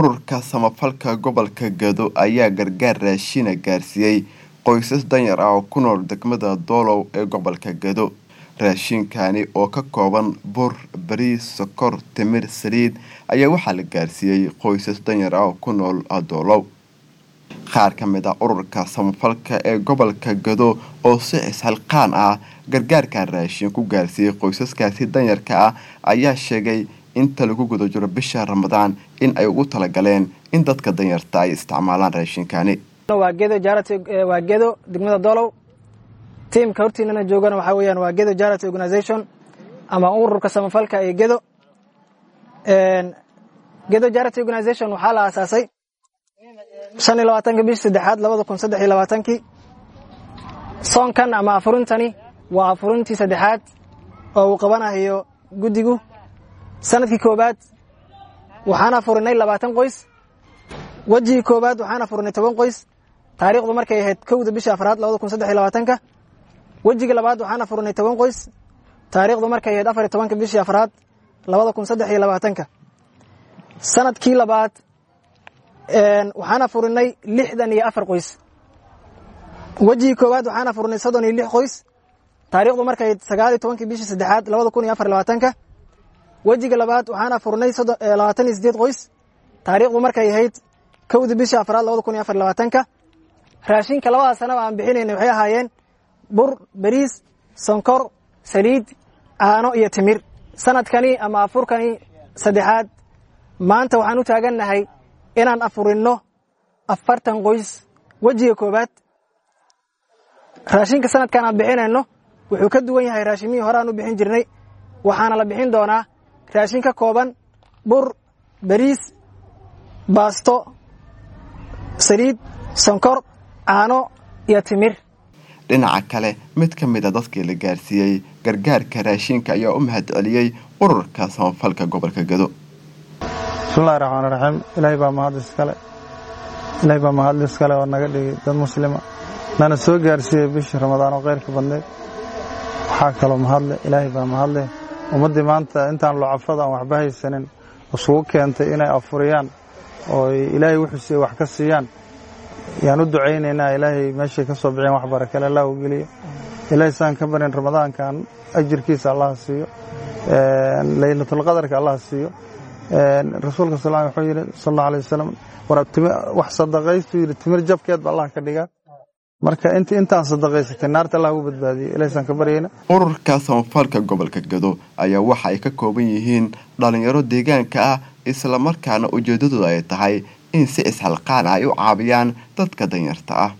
Ururka Samafalka Gobolka Gedo ayaa gargaar raashin ah gaarsiiyay qoysas danyar ah oo ku nool degmada Doolow ee gobolka Gedo. Raashinkani oo ka kooban bur, bariis, sokor, timir, saliid ayaa waxaa la gaarsiiyay qoysas danyar ah oo ku nool Doolow. Qaar ka mid ah ururka samafalka ee gobolka Gedo oo si isxilqaan ah gargaarkan raashin ku gaarsiiyay qoysaskaasi danyarka ah ayaa sheegay inta lagu guda jiro bisha Ramadaan in ay ugu talagaleen in dadka danyarta ay isticmaalaan raashinkani. Waa Gedo Charity, waa Gedo degmada Doolow. Tiimka hortiinana joogana waxaa weeyaan waa Gedo Charity Organization ama ururka samafalka ee Gedo. Gedo Charity Organization waxaa la aasaasay 25-ka bishii saddexaad 2023-kii. Soonkan ama afurintani waa afurintii saddexaad oo uu qabanayo guddigu. Sanadkii koowaad waxaan afurinay 20 qoys. Wejigii koowaad waxaan afurinay 10 qoys, taariikhdu markay ahayd 1-da bisha afraad 2023-ka. Wejiga labaad waxaan afurinay 10 qoys, taariikhdu markay ahayd 14-ka bishii afraad 2023-ka. Sanadkii labaad waxaan afurinay 64 qoys. Wejigii koowaad waxaan afurinay 36 qoys, taariikhdu markay ahayd 19-kii bishii saddexaad 2024-ka. Wejiga labaad waxaan afurinay 28 qoys, taariikhdu markay ahayd 1-da bisha afraad 2024-ka. Raashinka labada sanaba aan bixinaynay waxay ahaayeen bur, bariis, sonkor, saliid, caano iyo timir. Sanadkani ama afurkani saddexaad maanta waxaan u taagannahay inaan afurinno 40 qoys. Wejiga koowaad raashinka sanadkan aan bixinayno wuxuu ka duwan yahay raashimihii hore aan u bixin jirnay. Waxaana la bixin doonaa raashin ka kooban bur, bariis, baasto, saliid, sonkor, caano iyo timir. Dhinaca kale, mid ka mid ah dadkii la gaarsiiyey gargaarka raashinka ayaa u mahadceliyey ururka samafalka gobolka Gedo. Bismillahi raxmaani raxiim. Ilaahay baa mahad iskale, Ilaahay baa mahad iskale oo naga dhigay dad muslima, nana soo gaarsiiyey bishii Ramadaan oo khayrka badneyd. Waxaa kaloo mahadle, Ilaahay baa mahadle, ummaddii maanta intaan lucafada aan waxba haysanin isugu keentay inay afuriyaan oo Ilaahay wuxuu siiyey wax ka siiyaan. Yaan u ducaynaynaa Ilaahay meeshay ka soo bixeen wax barakale Allah u geliyo. Ilaahay saan ka barin Ramadaankan ajirkiisa Allah siiyo, Laylatulqadarka Allah siiyo. Rasuulka sal wuxuu yidhi sal allahu alayh wasalam, wax sadaqaystu yidhi timir jabkeed ba Allah ka dhigaa. Marka intaan sadaqaysatay naarta Allah ugu badbaadiyo, Ilaahay saan ka baryayna. Ururka samafalka gobolka Gedo ayaa waxa ay ka kooban yihiin dhalinyaro deegaanka ah, islamarkaana ujeedadooda ay tahay in si isxilqaan ah ay u caawiyaan dadka danyarta ah.